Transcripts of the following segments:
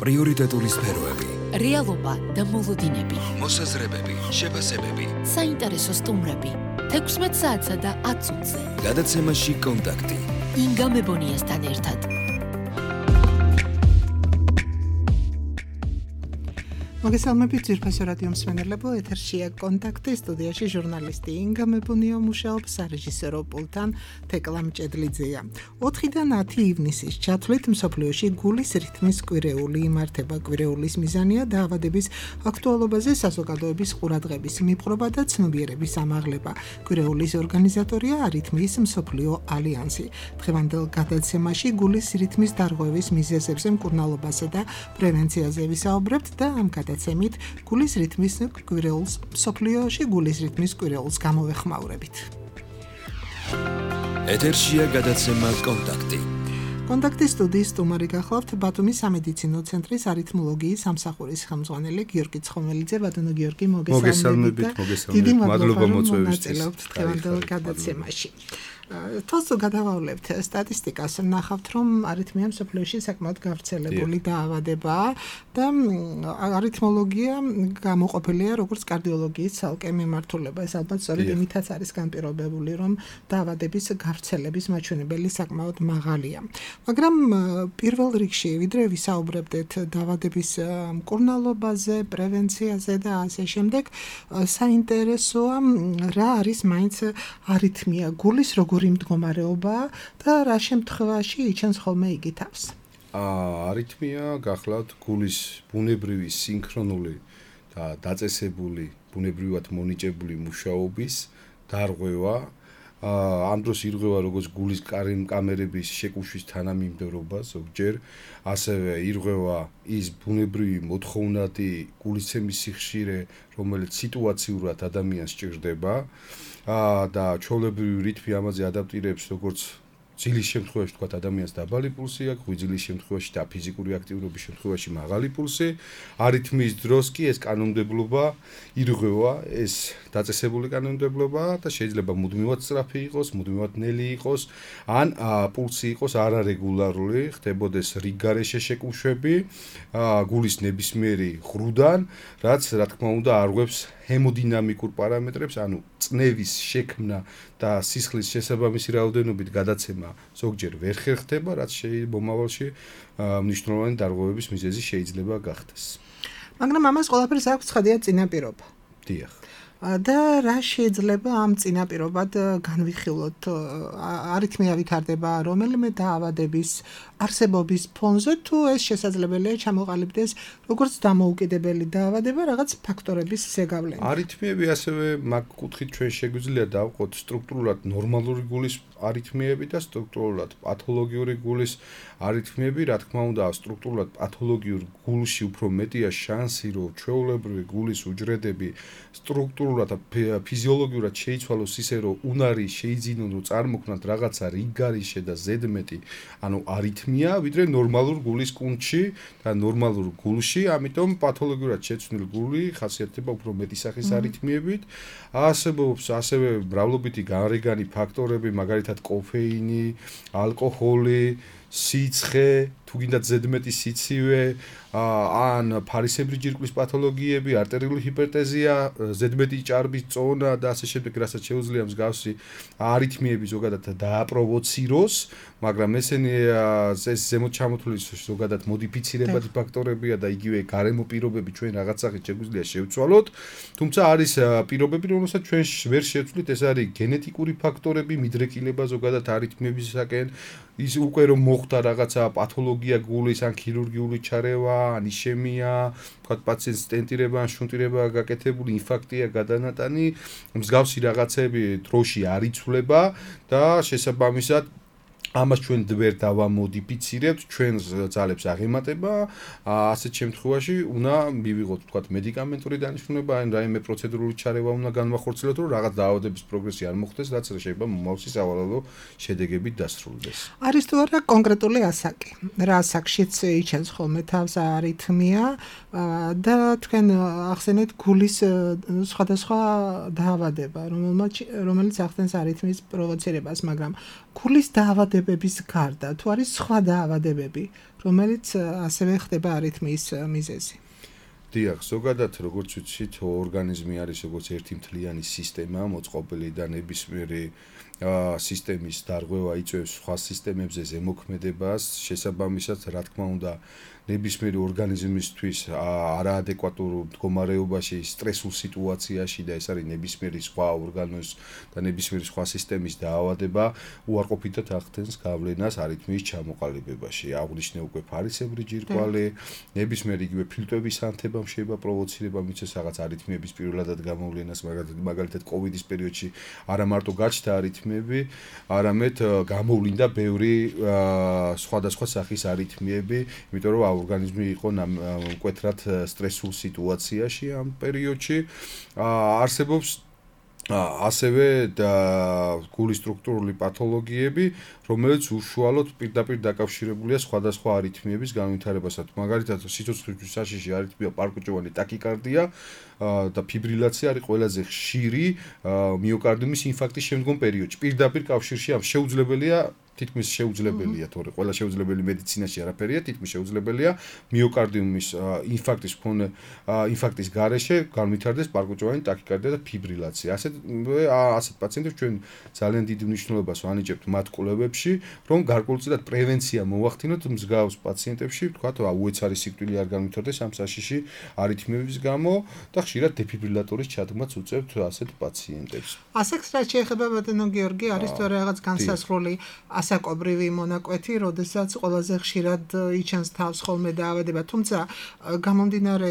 პრიორიტეტული სფეროები, რეალობა და მოლოდინები, მოსაზრებები, შეფასებები, საინტერესო სტუმრები, 16 საათსა და 10 წუთზე. გადაცემაში კონტაქტი. ინგა მებონიასთან ერთად. მოგესალმებით ძვირფასო რადიო მსმენელებო, ეთერშია კონტაქტი, სტუდიაში ჟურნალისტი ინგა მებონია მუშაობს, სარეჟისორო პულტთან თეკლა მჭედლიძეა. 4-დან 10 ივნისის ჩათვლით მსოფლიოში გულის რითმის კვირეული იმართება. კვირეულის მიზანია დაავადების აქტუალობაზე საზოგადოების ყურადღების მიპყრობა და ცნობიერების ამაღლება. კვირეულის ორგანიზატორია არითმიის მსოფლიო ალიანსი. დღევანდელ გადაცემაში გულის რითმის დარღვევის მიზეზებზე, მკურნალობასა და პრევენციაზე ვისაუბრებთ და ამ გადაცემით გულის რითმის კვირეულს მსოფლიოში გულის რითმის კვირეულს გამოვეხმაურებით. ეთერშია გადაცემა კონტაქტი. კონტაქტის სტუდიის სტუმარი გახლავთ ბათუმის სამედიცინო ცენტრის არითმოლოგიის სამსახურის ხელმძღვანელი გიორგი ცხომელიძე. ბატონო გიორგი, მოგესალმებით. დიდი მადლობა მონაწილეობთ დღევანდელ გადაცემაში. თავს გადავავლებთ სტატისტიკას, ნახავთ რომ არითმია მსოფლიოში საკმაოდ გავრცელებული დაავადებაა და არითმოლოგია გამოყოფილია როგორც კარდიოლოგიის ცალკე მიმართულება. ეს ალბათ სწორედ იმითაც არის განპირობებული, რომ დაავადების გავრცელების მაჩვენებელი საკმაოდ მაღალია. მაგრამ პირველ რიგში, ვიდრე ვისაუბრებდეთ დაავადების მკურნალობაზე, პრევენციაზე და ასე შემდეგ, საინტერესოა რა არის მაინც არითმია, გულის როგორი მდგომარეობა და რა შემთხვევაში იჩენს ხოლმე იგი თავს. არითმია გახლავთ გულის ბუნებრივი სინქრონული და დაწესებული, ბუნებრივად მონიჭებული მუშაობის დარღვევა. ამ დროს ირღვევა როგორც გულის კამერების შეკუმშვის თანამიმდევრობა ზოგჯერ, ასევე ირღვევა ის ბუნებრივი მოთხოვნადი გულისცემის სიხშირე, რომელიც სიტუაციურად ადამიანს სჭირდება და ჩვეულებრივი რითმი ამაზე ადაპტირებს როგორც ძილის შემთხვევაში თქვა ადამიანს დაბალი პულსი აქვს, ღვიძლის შემთხვევაში და ფიზიკური აქტიურობის შემთხვევაში მაღალი პულსი. არითმიის დროს კი ეს კანონმდებლობა ირღვევა, ეს დაწესებული კანონმდებლობა და შეიძლება მუდმივად სწრაფი იყოს, მუდმივად ნელი იყოს, ან პულსი იყოს არარეგულარული, ხდებოდეს რიგგარეშე შეკუმშვები გულის ნებისმიერი ღრუდან, რაც რა თქმა უნდა არღვევს ჰემოდინამიკურ პარამეტრებს, ანუ წნევის შექმნა და სისხლის შესაბამისი რაოდენობით გადაცემა ზოგჯერ ვერ ხერხდება, რაც მომავალში მნიშვნელოვანი დარღვევების მიზეზი შეიძლება გახდეს. მაგრამ ამას ყველაფერს აქვს ცხადია წინაპირობა. დიახ. და რა შეიძლება ამ წინაპირობად განვიხილოთ? არითმია ვითარდება რომელიმე დაავადების არსებობის ფონზე, თუ ეს შესაძლებელია ჩამოყალიბდეს როგორც დამოუკიდებელი დაავადება რაღაც ფაქტორების ზეგავლენით. არითმიები ასევე მაგ კუთხით ჩვენ შეგვიძლია დავყოთ სტრუქტურულად ნორმალური გულის არითმიები და სტრუქტურულად პათოლოგიური გულის არითმიები. რა თქმა უნდა, სტრუქტურულად პათოლოგიურ გულში უფრო მეტია შანსი, რომ ჩვეულებრივი გულის უჯრედები სტრუქტურულად და ფიზიოლოგიურად შეიცვალოს ისე, რომ უნარი შეიძინონ, რომ წარმოქმნათ რაღაცა რიგგარეშე და ზედმეტი, ანუ არითმია, ვიდრე ნორმალურ გულის კუნთში და ნორმალურ გულში. ამიტომ პათოლოგიურად შეცვლილი გული ხასიათდება უფრო მეტი სახის არითმიებით. არსებობს ასევე მრავლობითი გარეგანი ფაქტორები, მაგალითად კოფეინი, ალკოჰოლი, სიცხე, თუ გინდათ ზედმეტი სიცივე, ან ფარისებრი ჯირკვლის პათოლოგიები, არტერიული ჰიპერტენზია, ზედმეტი ჭარბის წონა და ასე შემდეგ, რასაც შეუძლია მსგავსი არითმიები ზოგადად დააპროვოციროს, მაგრამ ესენი ეს ზემოთ ჩამოთვლილი ზოგადად მოდიფიცირებადი ფაქტორებია და იგივე გარემო პირობები ჩვენ რაღაც სახით შეგვიძლია შევცვალოთ, თუმცა არის პირობები, რომელსაც ჩვენ ვერ შევცვლით, ეს არის გენეტიკური ფაქტორები, მიდრეკილება ზოგადად არითმიებისაკენ, ის უკვე რომ მოხდა რაღაცა პათოლოგია გულის ან ქირურგიული ჩარევა, ან იშემია, ვთქვათ პაციენტს სტენტირება ან შუნტირება გაკეთებული, ინფარქტია გადანატანი, მსგავსი რაღაცები დროში არ იცვლება და შესაბამისად ამას ჩვენ ვერ დავამოდიფიცირებთ, ჩვენ ძალებს აღემატება, ასეთ შემთხვევაში უნდა მივიღოთ, ვთქვათ, მედიკამენტური დანიშნულება, ან რაიმე პროცედურული ჩარევა უნდა განვახორციელოთ, რომ რაღაც დაავადების პროგრესი არ მოხდეს, რაც შეიძლება მომავალში სავალალო შედეგებით დასრულდეს. არის თუ არა კონკრეტული ასაკი? რა ასაკშიც იჩენს ხოლმე თავს არითმია და თქვენ ახსენეთ გულის სხვადასხვა დაავადება, რომელიც ახდენს არითმიის პროვოცირებას, მაგრამ გულის დაავადებების გარდა თუ არის სხვა დაავადებები, რომელიც ასევე ხდება არითმიის მიზეზი? დიახ, ზოგადად როგორც ვიცით, ორგანიზმი არის როგორც ერთი მთლიანი სისტემა, მოწყობილი და ნებისმიერი სისტემის დარღვევა იწვევს სხვა სისტემებზე ზემოქმედებას, შესაბამისად, რა თქმა უნდა, ნებისმიერი ორგანიზმისთვის არაადეკვატურ მდგომარეობაში, სტრესულ სიტუაციაში და ეს არის ნებისმიერი სხვა ორგანოს და ნებისმიერი სხვა სისტემის დაავადება, უარყოფითად ახდენს გავლენას არითმიის ჩამოყალიბებაში. აღვნიშნე უკვე ფარისებრი ჯირკვალი, ნებისმიერი იგივე ფილტვების ანთება შეიძლება პროვოცირება მიცეს რაღაც არითმიების პირველადად გამოვლენას, მაგალითად კოვიდის პერიოდში არა მარტო გაჩნდა არითმიები, არამედ გამოვლინდა ბევრი სხვადასხვა სახის არითმიები, იმიტომ რომ ორგანიზმი იყო მკვეთრად სტრესულ სიტუაციაში ამ პერიოდში. არსებობს ასევე გულის სტრუქტურული პათოლოგიები, რომელიც უშუალოდ პირდაპირ დაკავშირებულია სხვადასხვა არითმიების განვითარებასთან. მაგალითად, სიცოცხლის საშიში არითმია პარკუჭოვანი ტაკიკარდია და ფიბრილაცია არის ყველაზე ხშირი მიოკარდიუმის ინფარქტის შემდგომ პერიოდში. პირდაპირ კავშირში ამ შეუძლებელია თითქმის შეუძლებელია, თორე ყველა შეუძლებელი მედიცინაში არაფერია, თითქმის შეუძლებელია მიოკარდიუმის ინფარქტის გარეშე განვითარდეს პარკუჭოვანი ტაკიკარდია და ფიბრილაცია. ასეთ პაციენტებს ჩვენ ძალიან დიდი მნიშვნელობას ვანიჭებთ მათ კვლევებში, რომ გარკვეულწილად პრევენცია მოვახდინოთ მსგავს პაციენტებში, ვთქვათ, უეცარი სიკვდილი არ განვითარდეს ამ საშიში არითმიების გამო და ხშირად დეფიბრილატორის ჩადგმაც უწევთ ასეთ პაციენტებს. ასეც რაც შეეხება ბატონო გიორგი, არის თუ რაღაც განსაზღვრული ასაკობრივი მონაკვეთი, როდესაც ყველაზე ხშირად იჩენს თავს ხოლმე დაავადება, თუმცა გამომდინარე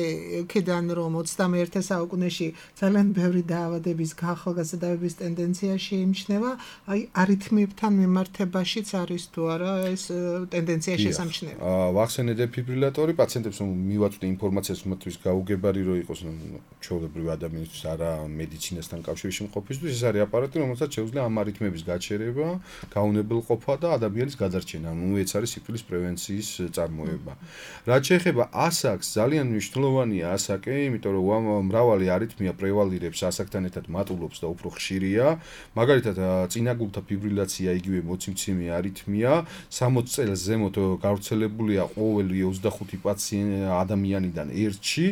იქიდან, რომ 21 საუკუნეში ძალიან ბევრი დაავადების ახალგაზრდების ტენდენცია შეიმჩნევა, აი არითმიებთან მიმართებაშიც არის თუ არა ეს ტენდენცია შესამჩნევი. ვახსენე დეფიბრილატორი პაციენტებს მივაწვდი ინფორმაციას მათთვის გაუგებარი რო იყოს ჩვეულებრივი ადამიანისთვის არა მედიცინასთან კავშირში მყოფისთვის, ეს არის აპარატი, რომელსაც შეუძლია ამ არითმიების გაჩერება, გაუნებელყოფა და ადამიანის გადარჩენა, ეს არის სიკვდილის პრევენციის წარმოება. რაც შეეხება ასაკს, ძალიან მნიშვნელოვანია ასაკი, იმიტომ რომ მრავალი არითმია პრევალირებს ასაკთან ერთად მატულობს და უფრო ხშირია. მაგალითად, წინაგულთა ფიბრილაცია იგივე მოციმცემი არითმია, 60 წელს ზემოთ გავრცელებულია ყოველი 25 ადამიანიდან ერთში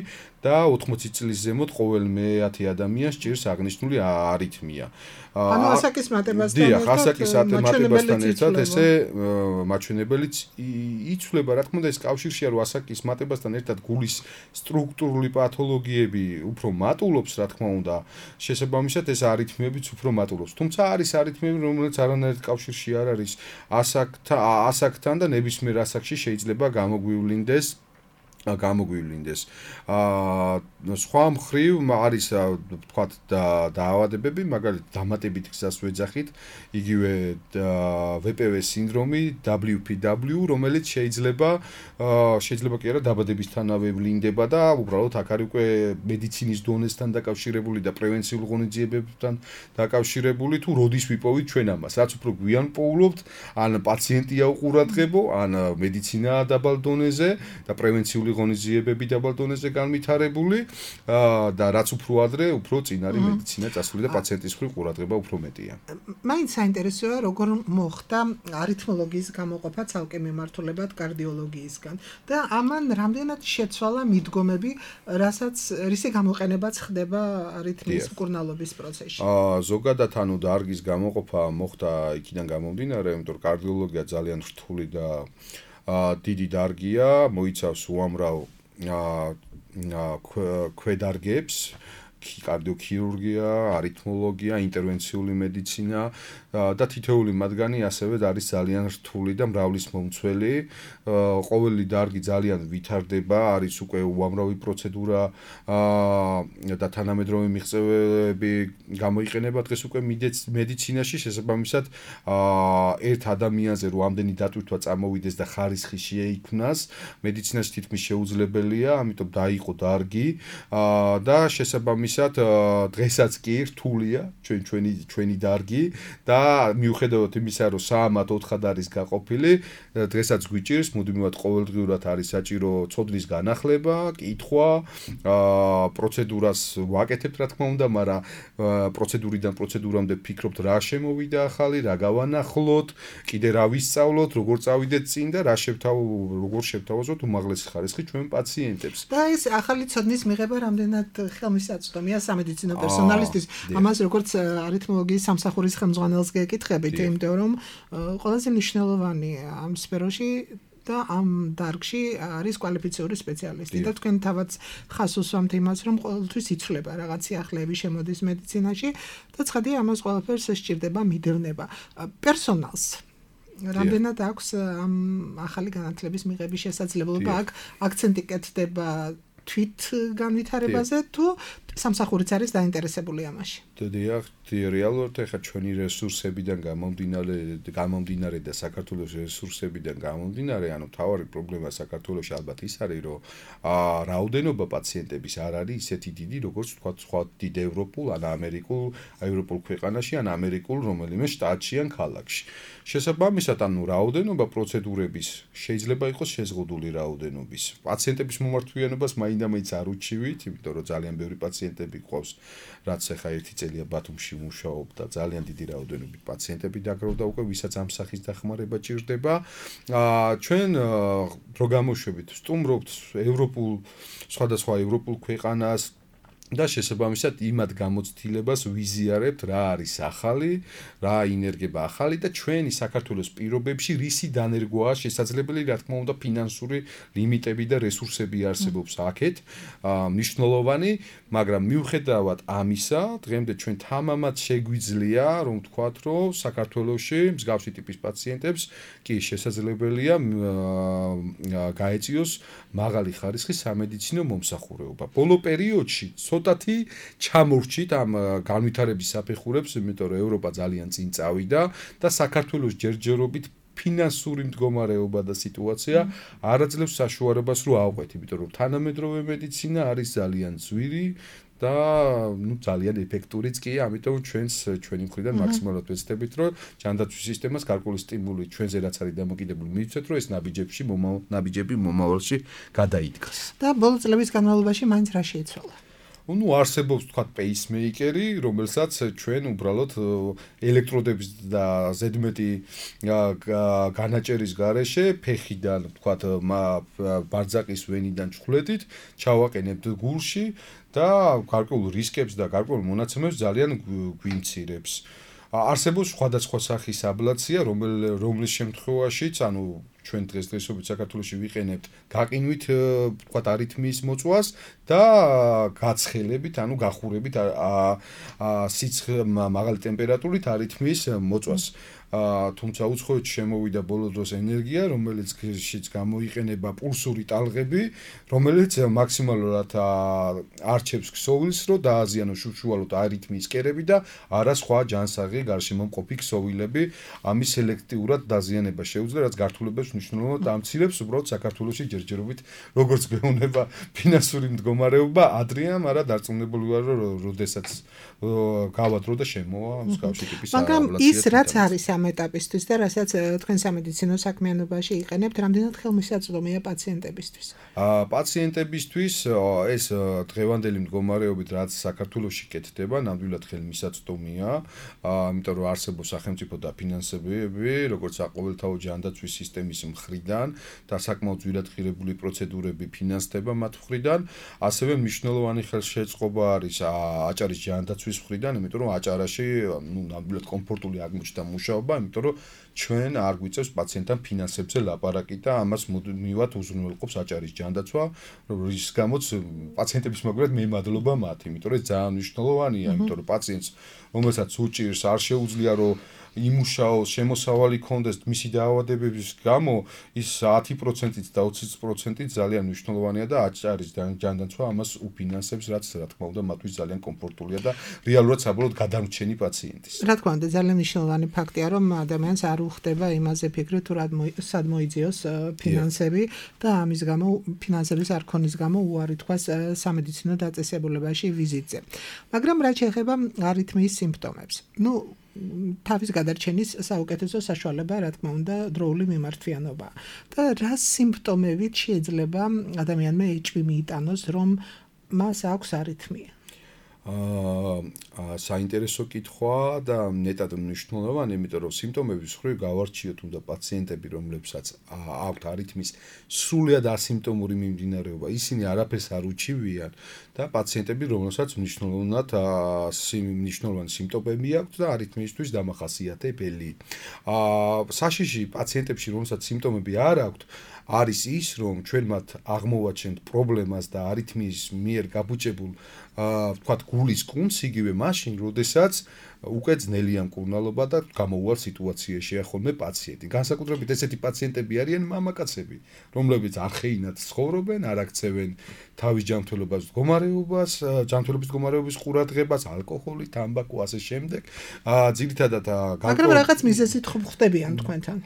და 80 წლის ზემოთ ყოველ მე-10 ადამიანს ჭირს აღნიშნული არითმია. ანუ ასაკის მატებასთან ერთად. დიახ, ასაკის მატებასთან ერთად ესე მაჩვენებელიც იცვლება, რა თქმა უნდა, ეს კავშირშია, რომ ასაკის მატებასთან ერთად გულის სტრუქტურული პათოლოგიები უფრო მატულობს, რა თქმა უნდა, შესაბამისად ეს არითმიებიც უფრო მატულობს. თუმცა არის არითმიები, რომელიც არანაირ კავშირში არ არის ასაკთან და ნებისმიერ ასაკში შეიძლება გამოგვივლინდეს. სხვა მხრივ არის ვთქვათ დაავადებები, მაგალითად დამატებით გზას ვეძახით, იგივე VPV სინდრომი, WPW, რომელიც შეიძლება კი არა დაბადებისთანავე ვლინდება და უბრალოდ აქ არის უკვე მედიცინის დონესთან დაკავშირებული და პრევენციულ ღონისძიებებთან დაკავშირებული, თუ როდის ვიპოვით ჩვენ ამას, რაც უფრო გვიან პოულობთ, ან პაციენტია უყურადღებო, ან მედიცინაა დაბალ დონეზე და პრევენციული ღონისძიებები დაბალ დონეზე განვითარებული და რაც უფრო ადრე, უფრო წინ არის მედიცინა წასული და პაციენტის მხრივ ყურადღება უფრო მეტია. მაინც საინტერესოა, როგორ მოხდა არითმოლოგიის გამოყოფა ცალკე მიმართულებად კარდიოლოგიისგან და ამან რამდენად შეცვალა მიდგომები, რისი გამოყენებაც ხდება არითმიის მკურნალობის პროცესში. ზოგადად ანუ დარგის გამოყოფა მოხდა იქიდან გამომდინარე, იმიტომ რომ კარდიოლოგია ძალიან რთული და დიდი დარგია, მოიცავს უამრავ ქვედარგებს, კარდიოქირურგია, არითმოლოგია, ინტერვენციული მედიცინა და თითოეული მათგანი ასევე არის ძალიან რთული და მრავლისმომცველი. ყოველი დარგი ძალიან ვითარდება, არის უკვე უამრავი პროცედურა და თანამედროვე მიღწევები გამოიყენება დღეს უკვე მედიცინაში, შესაბამისად ერთ ადამიანზე რომ ამდენი დატვირთვა წამოვიდეს და ხარისხი შეიქმნას, მედიცინაში თითქმის შეუძლებელია, ამიტომ დაიყო დარგი და შესაბამისად შესაბამისად დღესაც კი რთულია ჩვენი დარგი და მიუხედავად იმისა, რომ 3-4 არის გაყოფილი, დღესაც გვიჭირს მუდმივად ყოველდღიურად არის საჭირო ცოდნის განახლება, კითხვა, პროცედურას ვაკეთებთ რა თქმა უნდა, მაგრამ პროცედურიდან პროცედურამდე ფიქრობთ რა შემოვიდა ახალი, რა გავანახლოთ, კიდე რა ვისწავლოთ, როგორ წავიდეთ წინ და როგორ შევთავაზოთ უმაღლესი ხარისხი ჩვენ პაციენტებს. და ეს ახალი ცოდნის მიღება რამდენად ხელმისაწვდომია სამედიცინო პერსონალისთვის. ამას როგორც არითმოლოგიის სამსახურის ხელმძღვანელს გეკითხებით, იმიტომ რომ ყველაზე მნიშვნელოვანი ამ სფეროში და ამ დარგში არის კვალიფიციური სპეციალისტი და თქვენ თავად ხას უსვამთ იმას, რომ ყოველთვის იცვლება რაღაც სიახლეები შემოდის მედიცინაში და ცხადია ამას ყველაფერს სჭირდება მიდევნება. პერსონალს რამდენად აქვს ამ ახალი განათლების მიღების შესაძლებლობა, აქ აქცენტი კეთდება თვით განვითარებაზე თუ სამსახურიც არის დაინტერესებული ამაში? დიახ, რეალურად ახლა ჩვენი რესურსებიდან გამომდინარე და საქართველოს რესურსებიდან გამომდინარე, ანუ თავარი პრობლემა საქართველოში ალბათ ის არის, რომ რაოდენობა პაციენტების არ არის ისეთი დიდი, როგორც თქვა სხვა დიდ ევროპულ ან ევროპულ ქვეყანაში ან ამერიკულ რომელიმე შტატში ან ქალაქში. შესაბამისად, ანუ რაოდენობა პროცედურების შეიძლება იყოს შეზღუდული რაოდენობის. პაციენტების მომართვიანობას მაინდა-მაინც არ უჩივით, იმიტომ რომ ძალიან ბევრი პაციენტები ყავს, რაც ახლა ერთი წელია ბათუმში მუშაობ და ძალიან დიდი რაოდენობით პაციენტები დაგროვდა უკვე, ვისაც ამ სახის დახმარება ჭირდება. ჩვენ რო გამოშვებით, სტუმრობთ სხვადასხვა ევროპულ ქვეყანას და შესაბამისად იმად გამოცდილებას ვიზიარებთ რა არის ახალი, რა ინერგება ახალი და ჩვენი საქართველოს პირობებში რისი დანერგვაა შესაძლებელი, რა თქმა უნდა ფინანსური ლიმიტები და რესურსები არსებობს აქეთ, მნიშვნელოვანი, მაგრამ მიუხედავად ამისა, დღემდე ჩვენ თამამად შეგვიძლია, რომ ვთქვათ, რომ საქართველოში მსგავსი ტიპის პაციენტებს კი შესაძლებელია გაეწიოს მაღალი ხარისხის სამედიცინო მომსახურება. ბოლო პერიოდში ცოტათი ჩამორჩით ამ განვითარების საფეხურებს, იმიტომ რომ ევროპა ძალიან წინ წავიდა და საქართველოს ჯერჯერობით ფინანსური მდგომარეობა და სიტუაცია არაძლევს საშუალებას რომ ავყვეთ, იმიტომ რომ თანამედროვე მედიცინა არის ძალიან ძვირი და ძალიან ეფექტურიც კი, ამიტომ ჩვენი მხრიდან მაქსიმალურად ვეცდებით, რომ ჯანდაცვის სისტემას გარკვეული სტიმული ჩვენზე რაც არის დამოკიდებული მივცეთ, რომ ეს ნაბიჯები მომავალში გადაიდგას. და ბოლო წლების განმავლობაში მაინც რა შეიცვალა? არსებობს თქვა პეისმეიკერი, რომელსაც ჩვენ უბრალოდ ელექტროდების და ზედმეტი განაჭერის გარეშე ფეხიდან თქვა ბარძაკის ვენიდან ჩხვლეტით ჩავაყენებთ გულში და გარკვეულ რისკებს და გარკვეულ მონაცემებს ძალიან გვიმცირებს. არსებობს სხვადასხვა სახის აბლაცია, რომლის შემთხვევაშიც, ანუ ჩვენ დღესდღეობით საქართველოში ვიყენებთ გაყინვით, ვთქვათ, არითმიის მოწვას და გაცხელებით, ანუ გახურებით მაღალი ტემპერატურით არითმიის მოწვას. თუმცა უცხოეთში შემოვიდა ბოლო დროს ენერგია, რომელიც გამოიყენება პულსური ტალღები, რომელიც მაქსიმალურად არჩევს ქსოვილს, რომ დააზიანოს უშუალოდ არითმიის კერები და არა სხვა ჯანსაღი გარშემო მყოფი ქსოვილები. ამის სელექტიურად დაზიანება შეუძლია, რაც გართულებებს მნიშვნელოვნად ამცირებს უბრალოდ საქართველოში ჯერჯერობით, როგორც გვეუბნება ფინანსური მდგომარეობა, ადრეა, მაგრამ დარწმუნებული ვარ, რომ როდესაც გავადრო და შემოვა მსგავსი ტიპის აბლაცია. მაგრამ ის რაც არის ამ ეტაპისთვის და რასაც თქვენ სამედიცინო საქმიანობაში იყენებთ, რამდენად ხელმისაწვდომია პაციენტებისთვის? პაციენტებისთვის ეს დღევანდელი მდგომარეობით, რაც საქართველოში კეთდება, ნამდვილად ხელმისაწვდომია, იმიტომ რომ არსებობს სახელმწიფო დაფინანსებები, როგორც საყოველთაო ჯანდაცვის სისტემის მხრიდან და საკმაოდ ძვირად ღირებული პროცედურები ფინანსდება მათ მხრიდან, ასევე მნიშვნელოვანი ხელშეწყობა არის აჭარის ჯანდაცვის მხრიდან, იმიტომ რომ აჭარაში ნამდვილად კომფორტული აღმოჩნდა მუშაობა, იმიტომ რომ ჩვენ არ გვიწევს პაციენტთან ფინანსებზე ლაპარაკი და ამას მუდმივად უზრუნველყოფს აჭარის ჯანდაცვა, რის გამოც პაციენტების მაგალითად მე მადლობა მათ, იმიტომ რომ ეს ძალიან მნიშვნელოვანია, იმიტომ რომ პაციენტს, რომელსაც უჭირს, არ შეუძლია რომ იმუშაოს, შემოსავალი ქონდეს მისი დაავადებების გამო, ის 10%-ით და 20%-ით ძალიან მნიშვნელოვანია და არის ჯანდაცვა ამას უფინანსებს, რაც რა თქმა უნდა მათთვის ძალიან კომფორტულია და რეალურად საბოლოოდ გადამრჩენი პაციენტის. რა თქმა უნდა, ძალიან მნიშვნელოვანი ფაქტია, რომ ადამიანს არ უხდება იმაზე ფიქრი თუ სად მოიძიოს ფინანსები და ამის გამო ფინანსების არ ქონის გამო უარი თქვას სამედიცინო დაწესებულებაში ვიზიტზე. მაგრამ რაც შეეხება არითმიის სიმპტომებს. თავის გადარჩენის საუკეთესო საშუალება, რა თქმა უნდა, დროული მიმართვიანობა. და რა სიმპტომებით შეიძლება ადამიანმა ეჭვი მიიტანოს, რომ მას აქვს არითმია? საინტერესო კითხვა და ნეტად მნიშვნელოვანი, იმიტომ რომ სიმპტომების მხრივ გავარჩიოთ უნდა პაციენტები, რომლებსაც აქვთ არითმის სრულად ასიმპტომური მიმდინარეობა, ისინი არაფერს არ უჩივიან და პაციენტები, რომელსაც მნიშვნელოვანი სიმპტომები აქვთ და არითმიისთვის დამახასიათებელი. საშიში პაციენტებში, რომელსაც სიმპტომები არ აქვთ, არის ის, რომ ჩვენ მათ აღმოვაჩენთ პრობლემას და არითმიის მიერ გაბუჭებულ ვთქვათ გულის კუნთს იგივე მაშინ, როდესაც უკვე ძნელია მკურნალობა და გამოუვალ სიტუაციაშია ხოლმე პაციენტი. განსაკუთრებით ესეთი პაციენტები არიან მამაკაცები, რომლებიც არხეინად ცხოვრობენ, არ აქცევენ თავის ჯანმრთელობის მდგომარეობის ყურადღებას, ალკოჰოლი, თამბაქო, ასე შემდეგ. ძირითადად მაგრამ რაღაც მიზეზით ხვდებიან თქვენთან.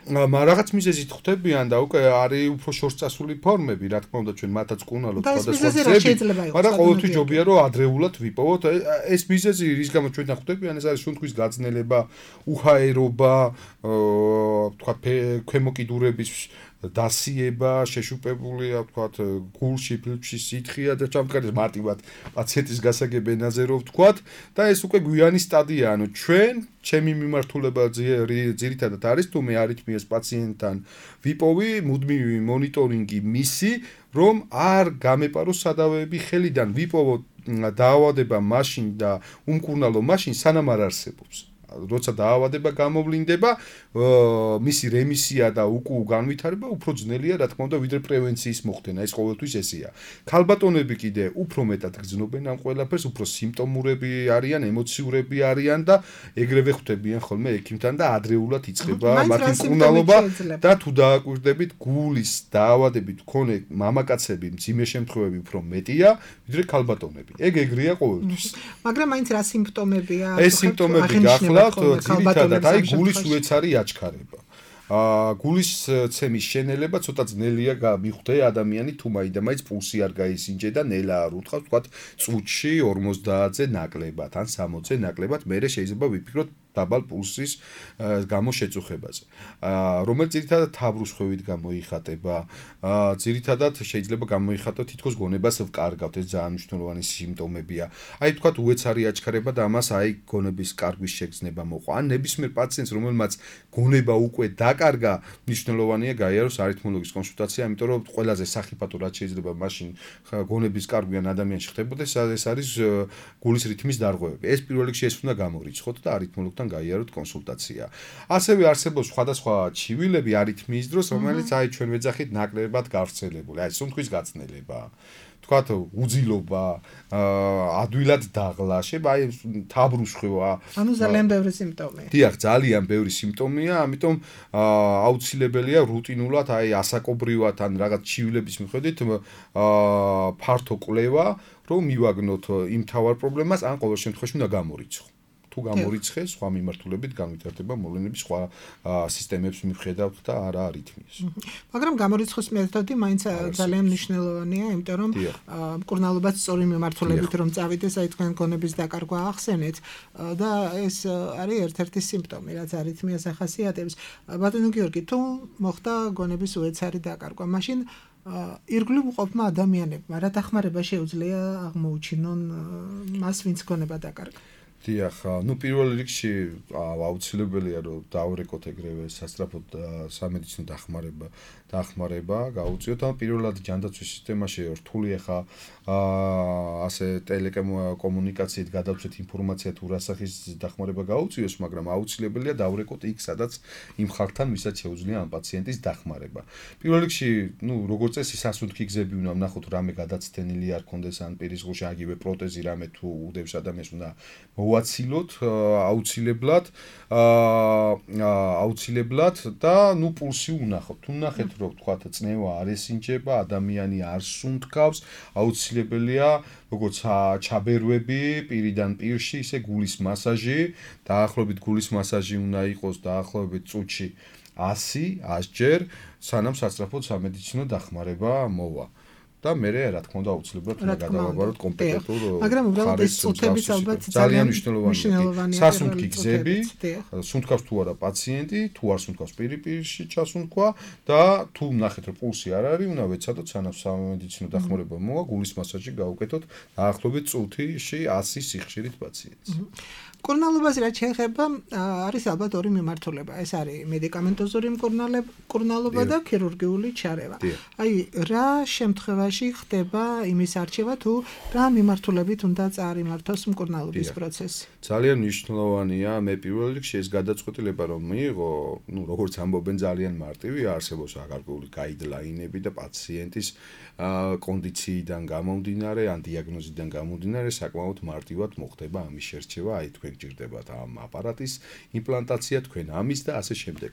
რაღაც მიზეზით ხვდებიან და უკვე არის უფრო შორსწასული ფორმები, რა თქმა უნდა, ჩვენ მათაც მკურნალობთ სხვადასხვა ძები, მაგრამ ყოველთვის ჯობია რომ ადრეულად ვიპოვოთ ეს მიზეზი, რის გამოც ჩვენ ხვდებიან, ეს არის სუნთქვის გაძნელება, უჰაერობა, ვთქვათ, ქვემოკიდურების დასიება, შეშუპებულია, ვთქვათ, გულში, ფილტვში სითხია და ჩამდგარეს მარტივად პაციენტის გასაგებ ენაზე რო ვთქვათ და ეს უკვე გვიანი სტადია, ანუ ჩემი მიმართულება ძირითადად არის თუ მე არითმიას პაციენტთან ვიპოვი მუდმივი მონიტორინგი მისი, რომ არ გამეპაროს სადავეები ხელიდან, ვიპოვოთ დაავადება მაშინ და უმკურნალო მაშინ სანამ არ არსებობს. როცა დაავადება გამოვლინდება, მისი რემისია და უკუ განვითარება უფრო ძნელია, რა თქმა უნდა, ვიდრე პრევენციის მოხდენა, ეს ყოველთვის ესეა. ქალბატონები კიდე უფრო მეტად გრძნობენ ამ ყველაფერს, უფრო სიმპტომურები არიან, ემოციურები არიან და ეგრევე ხვდებიან ხოლმე ექიმთან და ადრეულად იწყება მათი მკურნალობა და თუ დააკვირდებით, გულის დაავადებით მქონე მამაკაცები მძიმე შემთხვევები უფრო მეტია, ვიდრე ქალბატონები. ეგრეა ყოველთვის. მაგრამ მაინც რა სიმპტომებია? ეს სიმპტომები გახლავთ ძირითადად აი გულის უეცარი აჩქარება. გულის ცემის შენელება ცოტა ძნელია მიხვდე ადამიანი თუ მაინც პულსი არ გაისინჯე და ნელა არ უთხრავს, ვთქვათ, წუთში 50-ზე ნაკლებად ან 60-ზე ნაკლებად, მერე შეიძლება ვიფიქროთ დაბალ პულსის გამო შეწუხებაზე. რომელიც ძირითადად თავბრუსხვევით გამოიხატება, ძირითადად შეიძლება გამოიხატოს თითქოს გონებას ვკარგავთ, ეს ძალიან მნიშვნელოვანი სიმპტომებია. აი თქვათ უეცარი აჩქარება და ამას აი გონების კარგვის შეგრძნება მოყვა. ან ნებისმიერ პაციენტს, რომელმაც გონება უკვე დაკარგა, მნიშვნელოვანია გაიაროს არითმოლოგის კონსულტაცია, იმიტომ რომ ყველაზე სახიფათო რაც შეიძლება მაშინ გონების კარგვი ან ადამიანში ხდებოდეს, ეს არის გულის რითმის დარღვევები. ეს პირველ რიგში ეს უნდა გამორიცხოთ და არითმოლოგთან გაიაროთ კონსულტაცია. ასევე არსებობს სხვადასხვა ჩივილები არითმიის დროს, რომელიც აი ჩვენ ვეძახით ნაკლებად გავრცელებული. აი სუნთქვის გაწნელება, თქვათ უძილობა, ადვილად დაღლა, შეიძლება აი თავბრუსხვევა. ანუ ძალიან ბევრი სიმპტომია. დიახ, ძალიან ბევრი სიმპტომია, ამიტომ აუცილებელია რუტინულად აი ასაკობრივად ან რაღაც ჩივილების მიხედვით ფართო კვლევა, რომ მივაგნოთ იმ თავარ პრობლემას, ან ყოველ შემთხვევაში უნდა გამორიცხოთ. თუ გამორიცხეს, სხვა მიმართულებით განვითარდება მოვლენების სხვა სისტემებს მიხედავთ და არა არითმიას. მაგრამ გამორიცხვის მეთოდი მაინც ძალიან მნიშვნელოვანია, იმიტომ რომ მკურნალობაც სწორი მიმართულებით რომ წავიდეს, აი თქვენ გონების დაკარგვა ახსენეთ და ეს არის ერთ-ერთი სიმპტომი, რაც არითმიას ახასიათებს. ბატონო გიორგი, თუ მოხდა გონების უეცარი დაკარგვა, მაშინ ირგვლივ მყოფმა ადამიანებმა რა დახმარება შეუძლია აღმოუჩინონ მას, ვინც გონება დაკარგა? დიახ, პირველ რიგში აუცილებელია რომ დავრეკოთ ეგრევე სასწრაფო სამედიცინო დახმარება გაუწიოთ. ან პირველად ჯანდაცვის სისტემაში რთული ახლა ასე ტელეკომუნიკაციით გადავწვეთ ინფორმაცია თუ რა სახის დახმარება გაუწიოს, მაგრამ აუცილებელია დავრეკოთ იქ, სადაც იმ ხალხთან, ვისაც შეუძლია ამ პაციენტის დახმარება. პირველ რიგში, როგორც წესი, სასუნთქი გზები უნდა ვნახოთ, რამე გადაცდენილი არ ქონდეს ან პირის ღუში აგივე პროტეზი რამე თუ უდევს ადამიანს უნდა გავაცილოთ აუცილებლად და ნუ პულსი უნახოთ. თუ ნახეთ რომ თქვათ წნევა არ ესინჯება, ადამიანი არ სუნთქავს, აუცილებელია როგორც ჩაბერვები პირიდან პირში, ისე გულის მასაჟი, დაახლოებით გულის მასაჟი უნდა იყოს დაახლოებით წუთში 100 ჯერ, სანამ სასწრაფოდ სამედიცინო დახმარება მოვა. და მე რა თქმა უნდა აუცილებლად უნდა გადავაბაროთ კომპეტენტურ მაგრამ უბრალოდ ეს წუთების ალბათ ძალიან მნიშვნელოვანია. სასუნთქი გზები, სუნთქავს თუ არა პაციენტი, თუ არ სუნთქავს პირში ჩასუნთქვა და თუ ნახეთ რომ პულსი არ არის, უნდა ვეცადოთ სანამ სამედიცინო დახმარება მოვა, გულის მასაჟი გავუკეთოთ დაახლოებით წუთში 100 სიხშირით პაციენტს. მკურნალობაზე რაც შეეხება, არის ალბათ ორი მიმართულება. ეს არის მედიკამენტოზური მკურნალობა და ქირურგიული ჩარევა. აი, რა შემთხვევაში ხდება იმის არჩევა თუ რა მიმართულებით უნდა წარიმართოს მკურნალობის პროცესი? ძალიან მნიშვნელოვანია მე პირველ რიგში ეს გადაწყვეტილება რომ მიიღო, როგორც ამბობენ ძალიან მარტივი, არსებობს გარკვეული გაიდლაინები და პაციენტის კონდიციიდან გამომდინარე, ან დიაგნოზიდან გამომდინარე, საკმაოდ მარტივად მოხდება ამის შერჩევა, აი თქვენ გჭირდებათ ამ აპარატის იმპლანტაცია, თქვენ ამის და ასე შემდეგ.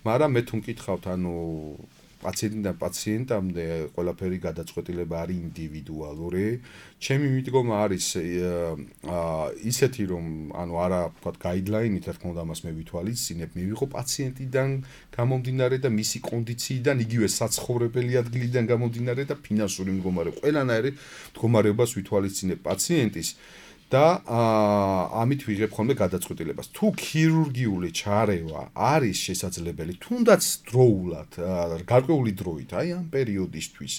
მაგრამ მე თუ მკითხავთ, ანუ პაციენტიდან პაციენტამდე ყველაფერი გადაწყვეტილება არის ინდივიდუალური. ჩემი მიდგომა არის ისეთი, რომ ანუ არა ვთქვათ გაიდლაინით, რა თქმა უნდა, ამას მე ვითვალისწინებ, მივიღო პაციენტიდან გამომდინარე და მისი კონდიციიდან, იგივე საცხოვრებელი ადგილიდან გამომდინარე და ფინანსური მდგომარეობა. ყველანაირი მდგომარეობას ვითვალისწინებ პაციენტის და ამით ვიღებ ხოლმე გადაწყვეტილებას. თუ ქირურგიული ჩარევა არის შესაძლებელი, თუნდაც დროულად, გარკვეული დროით, აი ამ პერიოდისთვის,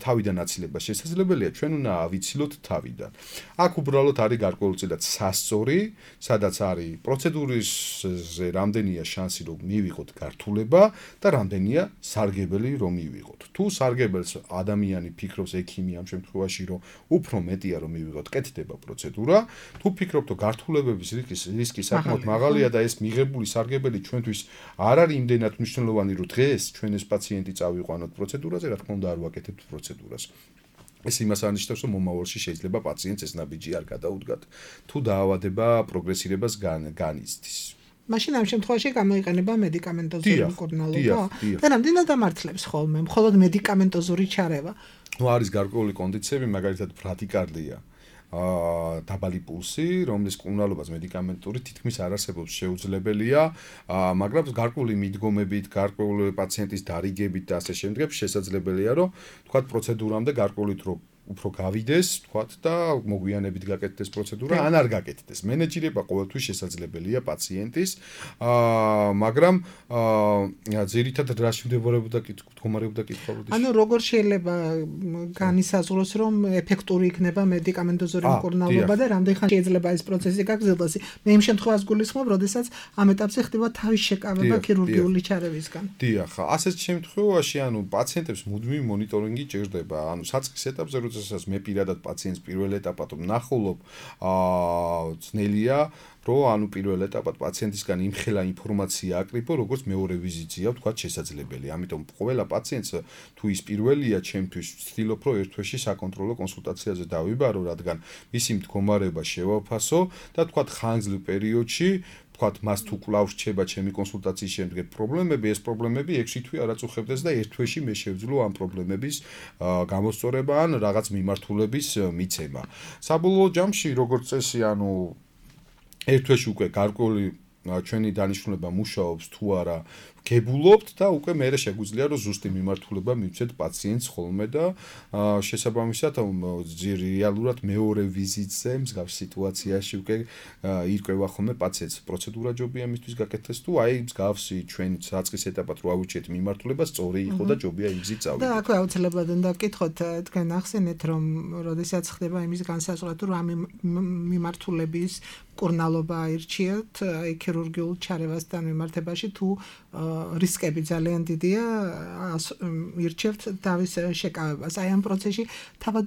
თავიდან აცილება შესაძლებელია, ჩვენ უნდა ავიცილოთ თავიდან. აქ უბრალოდ არის გარკვეულწილად სასწორი, სადაც არის პროცედურისზე რამდენია შანსი რომ მივიღოთ გართულება და რამდენია სარგებელი რომ მივიღოთ. თუ სარგებელს ადამიანი ფიქრობს ექიმი ამ შემთხვევაში რომ უფრო მეტია რომ მივიღოთ, კეთდება პროცედურა. თუ ფიქრობთ რომ გართულებების რისკი საკმაოდ მაღალია და ეს მიღებული სარგებელი ჩვენთვის არ არის იმდენად მნიშვნელოვანი რომ დღეს ჩვენ ეს პაციენტი წავიყვანოთ პროცედურაზე, რა თქმა უნდა არ ვაკეთებთ პროცედურას. ეს იმას ანიშნავს, რომ მომავალში შეიძლება პაციენტს ეს ნაბიჯი არ გადაუდგათ, თუ დაავადება პროგრესირებას განიცდის. მაშინ ამ შემთხვევაში გამოიყენება მედიკამენტოზური მკურნალობა და რამდენად ამართლებს ხოლმე მხოლოდ მედიკამენტოზური ჩარევა? არის გარკვეული კონდიციები, მაგალითად ბრადიკარდია. დაბალი პულსი, რომლის მკურნალობას მედიკამენტური თითქმის არ არსებობს შეუძლებელია, მაგრამ გარკვეული მიდგომებით, გარკვეული პაციენტის დარიგებით და ასე შემდეგ შესაძლებელია, რომ თქვათ პროცედურამდე გარკვეული დრო უფრო გავიდეს, თქვათ და მოგვიანებით გაკეთდეს პროცედურა, ან არ გაკეთდეს. მენეჯერება ყოველთვის შესაძლებელია პაციენტის, მაგრამ ძირითადად რაში მდებარეობდა კითხვა? ანუ როგორ შეიძლება განისაზღვროს, რომ ეფექტური იქნება მედიკამენტოზური მკურნალობა და რამდენ ხანში შეიძლება ეს პროცესი გაგრძელდეს? მე იმ შემთხვევას გულისხმობ, როდესაც ამ ეტაპზე ხდება თავის შეკავება ქირურგიული ჩარევისგან. დიახ, ასეთ შემთხვევაში, ანუ პაციენტებს მუდმივი მონიტორინგი ჭირდება, ანუ საწყის ეტაპზე როდესაც მე პირადად პაციენტს პირველ ეტაპად ვნახულობ, ძნელია რომ ანუ პირველ ეტაპად პაციენტისგან იმხელა ინფორმაცია აკრიფო, როგორც მეორე ვიზიტზეა ვთქვათ შესაძლებელი. ამიტომ ყველა პაციენტს თუ ის პირველია ჩემთვის ვცდილობ რომ ერთ თვეში საკონტროლო კონსულტაციაზე დავიბარო, რადგან მისი მდგომარეობა შევაფასო და ვთქვათ ხანგრძლივ პერიოდში ვთქვათ მას თუ კვლავ რჩება ჩემი კონსულტაციის შემდეგ პრობლემები, ეს პრობლემები 6 თვე არ აწუხებდეს და ერთ თვეში მე შევძლო ამ პრობლემების გამოსწორება ან რაღაც მიმართულების მიცემა. საბოლოო ჯამში როგორც წესი, ანუ ერთ თვეში უკვე გარკვეული ჩვენი დანიშნულება მუშაობს თუ არა გებულობთ და უკვე მე შეგვიძლია რომ ზუსტი მიმართულება მივცეთ პაციენტს ხოლმე და შესაბამისად რეალურად მეორე ვიზიტზე მსგავს სიტუაციაში უკვე ირკვევა ხოლმე პაციენტს პროცედურა ჯობია მისთვის გაკეთდეს თუ აი მსგავსი ჩვენ საწყის ეტაპად რო ავუჩეთ მიმართულება სწორი იყო და ჯობია იგზით წავიდეთ. და აქ აუცილებლად უნდა ვკითხოთ, თქვენ ახსენეთ რომ როდესაც ხდება იმის განსაზღვრა თუ რა მიმართულების მკურნალობა აირჩიეთ ქირურგიულ ჩარევასთან მიმართებაში თუ რისკები ძალიან დიდია, ირჩევთ თავის შეკავებას. აი ამ პროცესში თავად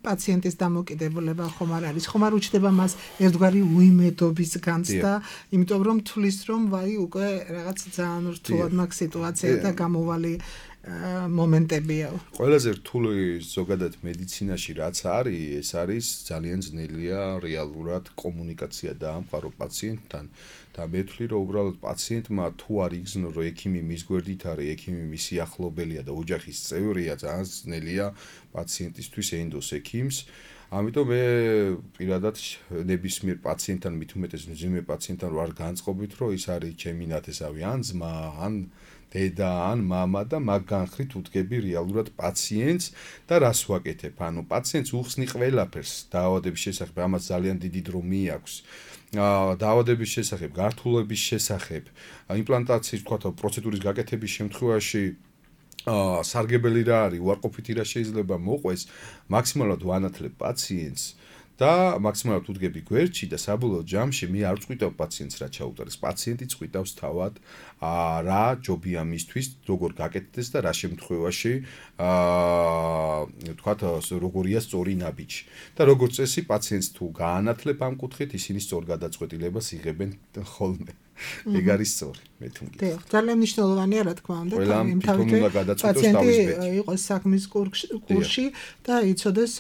პაციენტის დამოკიდებულება ხომ არ არის, ხომ არ უჩნდება მას ერთგვარი უიმედობის განცდა, იმიტომ რომ თulis რომ ვაი უკვე რაღაც ძალიან რთულად მაქვს სიტუაცია და გამოვალი მომენტებია. ყველაზე რთული ზოგადად მედიცინაში რაც არის, ეს არის ძალიან ძნელია რეალურად კომუნიკაცია დაამყარო პაციენტთან და მე ვთვლი რომ უბრალოდ პაციენტმა თუ არ იგზნო რომ ექიმი მის გვერდით არის, ექიმი მისი ახლობელია და ოჯახის წევრია, ძალიან ძნელია პაციენტისთვის ენდოს ექიმს. ამიტომ მე პირადად ნებისმიერ პაციენტთან მით უმეტეს მძიმე პაციენტთან ვარ განწყობით რომ ის არის ჩემი ნათესავი ან ძმა ან დედა ან მამა და მაგ განხრით უდგები რეალურად პაციენტს და რას ვაკეთებ? ანუ პაციენტს უხსნი ყველაფერს დაავადების შესახებ, ამას ძალიან დიდი დრო მიაქვს. დაავადების შესახებ, გართულების შესახებ, იმპლანტაციის თქვა პროცედურის გაკეთების შემთხვევაში სარგებელი რა არის, უარყოფითი რა შეიძლება მოყვეს, მაქსიმალურად ვანათლებ პაციენტს და მაქსიმალურად უდგები გვერდში და საბოლოო ჯამში მე არ წყვიტავ პაციენტს რა ჩაუტარეს. პაციენტი წყვიტავს თავად რა ჯობია მისთვის, როგორ გაკეთდეს და რა შემთხვევაში თქვათ როგორია სწორი ნაბიჯი. და როგორც წესი პაციენტს თუ გაანათლებ ამ კუთხით, ისინი სწორ გადაწყვეტილებას იღებენ ხოლმე. ეგ არის სწორი, მე თუ მგონი. დიახ, ძალიან მნიშვნელოვანია რა თქმა უნდა, პაციენტი იყოს საქმის კურსში და იცოდეს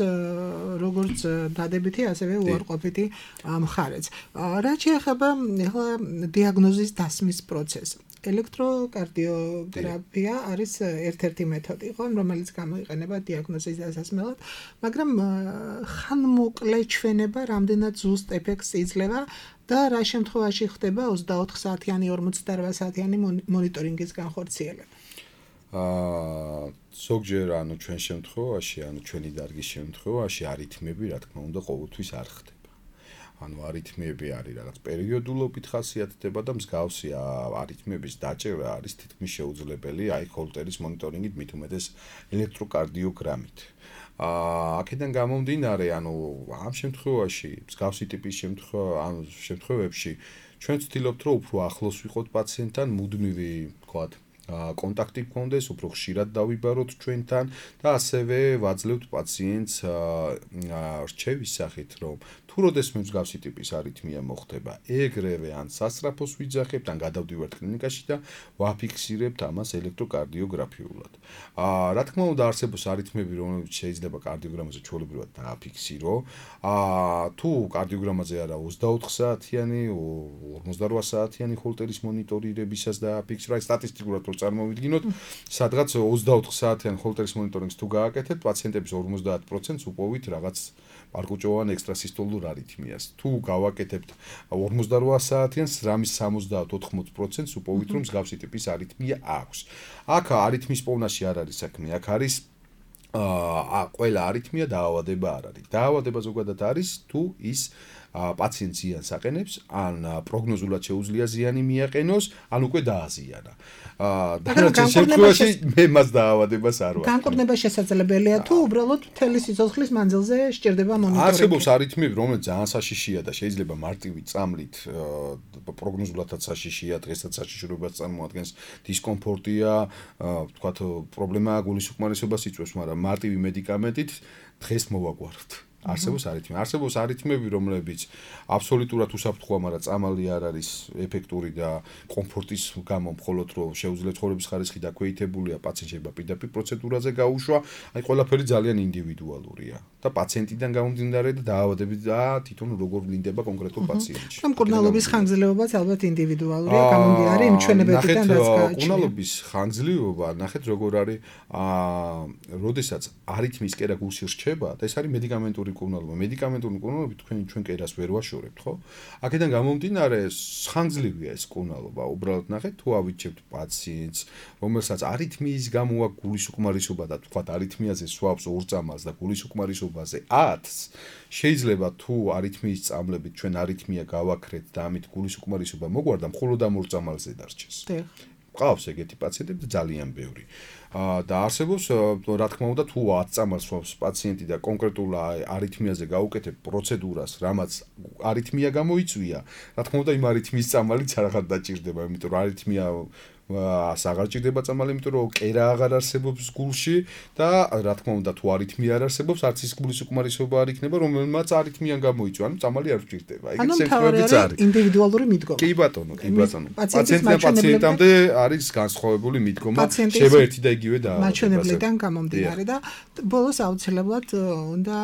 როგორც დადებითი, ასევე უარყოფითი მხარეც. რაც შეეხება ახლა დიაგნოზის დასმის პროცესს. ელექტროკარდიოგრაფია არის ერთ-ერთი მეთოდი, რომელიც გამოიყენება დიაგნოზის დასასმელად, მაგრამ ხანმოკლე ჩვენება რამდენად ზუსტ ეფექტს იძლევა და რა შემთხვევაში ხდება 24 საათიანი 48 საათიანი მონიტორინგის განხორციელება. ზოგჯერ ანუ ჩვენ შემთხვევაში, ანუ ჩვენი დარგის შემთხვევაში არითმები რა თქმა უნდა ყოველთვის არ ხდება. ანუ არითმები არის რაღაც პერიოდულობით ხასიათდება და მსგავსი არითმების დაჭერა არის თითქმის შეუძლებელი აი ჰოლტერის მონიტორინგით მით უმეტეს ელექტროკარდიოგრამით. აქედან გამომდინარე, ანუ ამ შემთხვევაში, მსგავსი ტიპის შემთხვევებში ჩვენ ვცდილობთ რომ უფრო ახლოს ვიყოთ პაციენტთან, მუდმივი ვთქვათ კონტაქტი გქონდეს, უფრო ხშირად დავიბაროთ ჩვენთან და ასევე ვაძლევთ პაციენტს რჩევის სახით, რომ თუ როდესმე მსგავსი ტიპის არითმია მოხდება, ეგრევე ან სასწრაფოს ვიძახებთ, ან გადავდივართ კლინიკაში და ვაფიქსირებთ ამას ელექტროკარდიოგრაფიულად. რა თქმა უნდა, არსებობს არითმები, რომლებიც შეიძლება კარდიოგრამაზე ჩვეულებრივად დააფიქსირო. თუ კარდიოგრამაზე არა 24 საათიანი, 48 საათიანი ჰოლტერის მონიტორირებისას დააფიქსირა, აი სტატისტიკურად რო წარმოვიდგინოთ, სადღაც 24 საათიან ჰოლტერის მონიტორინგს თუ გააკეთებთ, პაციენტების 50%-ს უპოვით რაღაც პარკუჭოვან ექსტრასისტოლურ არითმიას. თუ გავაკეთებთ 48 საათიანს, რამის 70-80%-ს უპოვით, რომ მსგავსი ტიპის არითმია აქვს. აქ არითმის პოვნაში არ არის საქმე, აქ არის ყველა არითმია დაავადება არ არის. დაავადება ზოგადად არის თუ ის პაციენტს ზიანს აყენებს, ან პროგნოზულად შეუძლია ზიანი მიაყენოს, ან უკვე დააზიანა. დანარჩენ შემთხვევაში მე მას დაავადებას არ ვარ. განკურნება შესაძლებელია თუ უბრალოდ მთელი სიცოცხლის მანძილზე სჭირდება მონიტორინგი. არსებობს არითმიები, რომელიც ძალიან საშიშია და შეიძლება მარტივი წამლით პროგნოზულადაც საშიშია, დღესაც საშიშრობას წარმოადგენს, დისკომფორტია, ვთქვათ, პრობლემაა გულისუკმარისობას იწვევს, მაგრამ მარტივი მედიკამენტით დღეს მოვაგვაროთ. არსებობს არითმები, რომლებიც აბსოლუტურად უსაფრთხოა, მაგრამ წამალი არ არის ეფექტური და კომფორტის გამო მხოლოდ რომ შეუძლებს ცხოვრების ხარისხი დაქვეითებულია, პაციენტ შეიძლება პირდაპირ პროცედურაზე გაუშვა, აი ყველაფერი ძალიან ინდივიდუალურია და პაციენტიდან გამომდინარე და დაავადებით და თვითონ როგორ ვლინდება კონკრეტულ პაციენტში. ამ კურნალობის ხანგრძლივობაც ალბათ ინდივიდუალურია, გამომდინარე იმ ჩვენებებიდან რაც გააჩნია. კურნალობის ხანგრძლივობა, ნახეთ როგორ არის, როდესაც არითმის კერა გულში რჩება და ეს არის მედიკამენტური კურნალობა. მედიკამენტური კურნალობით ჩვენ კერას ვერ ვაშორებთ, ხო? აქედან გამომდინარე, ხანგრძლივია ეს კურნალობა. უბრალოდ ნახეთ, თუ ავიჩებთ პაციენტს, რომელსაც არითმიის გამო აქვს გულისუკმარისობა და თქვათ არითმიაზე სვავს 2 წამალს და გულისუკმარისობაზე 10-ს, შეიძლება თუ არითმიის წამლებით ჩვენ არითმია გავაქრეთ და ამით გულისუკმარისობა მოგვარდა, მხოლოდ ამ 2 წამალზე დარჩეს. ყავს ეგეთი პაციენტები ძალიან ბევრი. და არსებობს, რა თქმა უნდა, თუ 10 წამალს სვავს პაციენტი და კონკრეტულ არითმიაზე გაუკეთებ პროცედურას, რამაც არითმია გამოიწვია, რა თქმა უნდა, იმ არითმიის წამალიც არაღარ დაჭირდება, იმიტომ რომ არითმია აღარ ჭირდება წამალი, იმიტომ რომ კერა აღარ არსებობს გულში და რა თქმა უნდა თუ არითმია არ არსებობს, არც ის გულის უკმარისობა არ იქნება, რომელმაც არითმიან გამოიწვა, ანუ წამალი არ ჭირდება. ეგეც შემთხვევებიც არის. ინდივიდუალური მიდგომა. კი ბატონო. პაციენტიდან პაციენტამდე არის განსხვავებული მიდგომა, შეიძლება ერთი და იგივე დაავადება. მაჩვენებლიდან გამომდინარე და ბოლოს აუცილებლად უნდა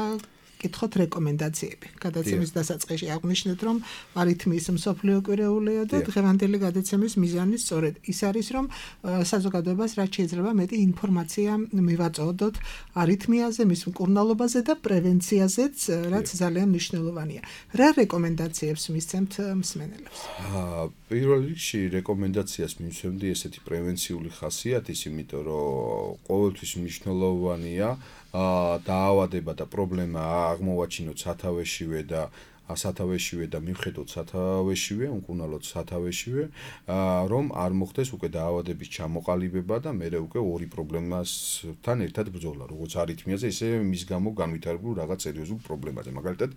კითხოთ რეკომენდაციები. გადაცემის დასაწყისში აღვნიშნეთ, რომ არითმიის მსოფლიო კვირეულია და დღევანდელი გადაცემის მიზანი სწორედ ის არის, რომ საზოგადოებას რაც შეიძლება მეტი ინფორმაცია მივაწოდოთ არითმიაზე, მის მკურნალობაზე და პრევენციაზეც, რაც ძალიან მნიშვნელოვანია. რა რეკომენდაციებს მისცემთ მსმენელებს? პირველ რიგში რეკომენდაციას მივცემდი ესეთი პრევენციული ხასიათის, იმიტომ რომ ყოველთვის მნიშვნელოვანია დაავადება და პრობლემა აღმოვაჩინოთ სათავეშივე და მივხედოთ სათავეშივე, უკუნალოთ სათავეშივე, რომ არ მოხდეს უკვე დაავადების ჩამოყალიბება და მერე უკვე ორი პრობლემასთან ერთად ბრძოლა, როგორც არითმიაზე, ისე მის გამო განვითარებულ რაღაც სერიოზულ პრობლემაზე, მაგალითად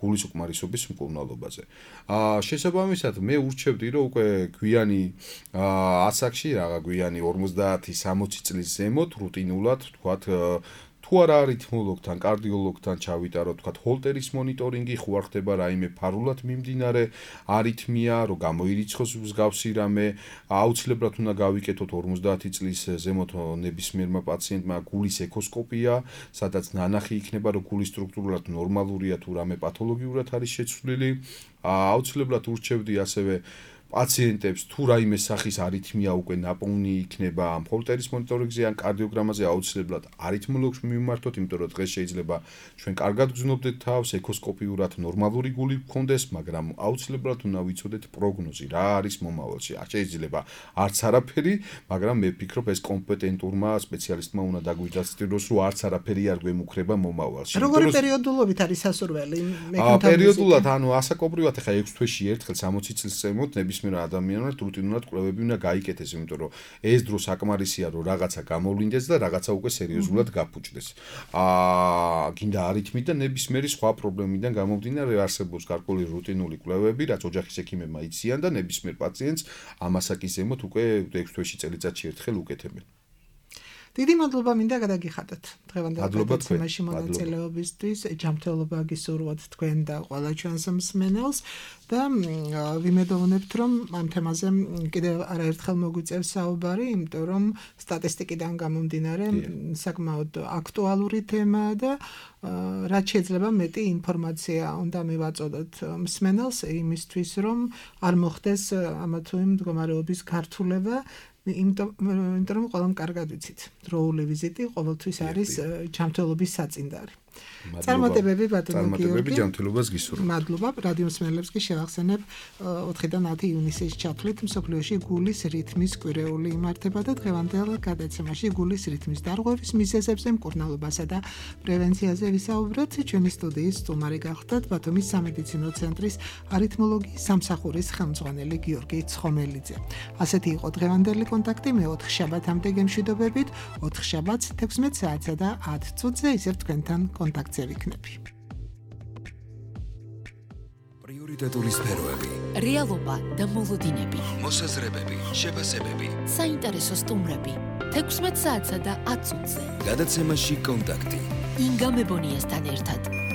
გულის უკმარისობის მკურნალობაზე. შესაბამისად, მე ურჩევდი, რომ უკვე გვიანი ასაკში, რაღა გვიანი 50-60 წლის ზემოთ რუტინულად, თქვათ თუ არა არითმოლოგთან, კარდიოლოგთან ჩავიტაროთ, თქვათ, ჰოლტერის მონიტორინგი, ხო არ ხდება რაიმე ფარულად მიმდინარე არითმია, რომ გამოირიცხოს მსგავსი რამე, აუცილებლად უნდა გავიკეთოთ 50 წლის ზემოთ ნებისმიერმა პაციენტმა გულის ეკოსკოპია, სადაც ნანახი იქნება, რომ გული სტრუქტურულად ნორმალურია თუ რამე პათოლოგიურად არის შეცვლილი. აუცილებლად ურჩევდი ასევე პაციენტებს თუ რაიმე სახის არითმია უკვე ნაპოვნი იქნება ამ ჰოლტერის მონიტორინგზე ან კარდიოგრამაზე აუცილებლად არითმოლოგს მიმართოთ, იმიტომ რომ დღეს შეიძლება ჩვენ კარგად გრძნობდეთ თავს, ეკოსკოპიურად ნორმალური გული გქონდეს, მაგრამ აუცილებლად უნდა ვიცოდეთ პროგნოზი, რა არის მომავალში. შეიძლება არც არაფერი, მაგრამ მე ვფიქრობ ეს კომპეტენტურმა სპეციალისტმა უნდა დაგვიჯასტიროს, რომ არც არაფერი არ გვემუქრება მომავალში. როგორი პერიოდულობით არის სასურველი? პერიოდულად, ანუ ასაკობრივად ახლა 6 თვეში ერთხელ 60 წლის ზემოთ ნებისმიერ ადამიანად რუტინულად კვლევები უნდა გაიკეთეს, იმიტომ რომ ეს დრო საკმარისია, რომ რაღაცა გამოვლინდეს და რაღაცა უკვე სერიოზულად გაფუჭდეს. გინდა არითმით და ნებისმიერი სხვა პრობლემიდან გამომდინარე არსებობს გარკვეული რუტინული კვლევები, რაც ოჯახის ექიმებმა იციან და ნებისმიერ პაციენტს ამ ასაკის ზემოთ უკვე 6 თვეში წელიწადში ერთხელ უკეთებენ. დიდი მადლობა მინდა გადაგიხადოთ დღევანდელ გადაცემაში მონაწილეობისთვის. ჯანმრთელობა გისურვოთ თქვენ და ყველა ჩვენს მსმენელს და ვიმედოვნებთ, რომ ამ თემაზე კიდევ არაერთხელ მოგვიწევს საუბარი, იმიტომ რომ სტატისტიკიდან გამომდინარე საკმაოდ აქტუალური თემაა და რაც შეიძლება მეტი ინფორმაცია უნდა მივაწოდოთ მსმენელს იმისთვის, რომ არ მოხდეს ამა თუ იმ მდგომარეობის გართულება. იმიტომ რომ ყველამ კარგად ვიცით, დროული ვიზიტი ყოველთვის არის ჯანმრთელობის საწინდარი. წარმატებები ბატონო გიორგი. ჯანმრთელობას გისურვებთ. მადლობა. რადიო მსმენელებს კი შევახსენებ 4-დან 10 ივნისის ჩათვლით მსოფლიოში გულის რითმის კვირეული იმართება და დღევანდელ გადაცემაში გულის რითმის დარღვევის მიზეზებზე, მკურნალობასა და პრევენციაზე ვისაუბრეთ. ჩვენი სტუდიის სტუმარი გახლდათ ბათუმის სამედიცინო ცენტრის არითმოლოგიის სამსახურის ხელმძღვანელი გიორგი ცხომელიძე. ასეთი იყო დღევანდელი კონტაქტი. მე 4 შაბათამდე გემშვიდობებით. 4 შაბათს 16 საათსა და 10 წუთზე ისევ თქვენთან კონტაქტზე ვიქნები. პრიორიტეტული სფეროები, რეალობა და მოლოდინები, მოსაზრებები, შეფასებები, საინტერესო სტუმრები 16 საათსა და 10 წუთზე. გადაცემაში კონტაქტი. ინგა მებონიასთან ერთად.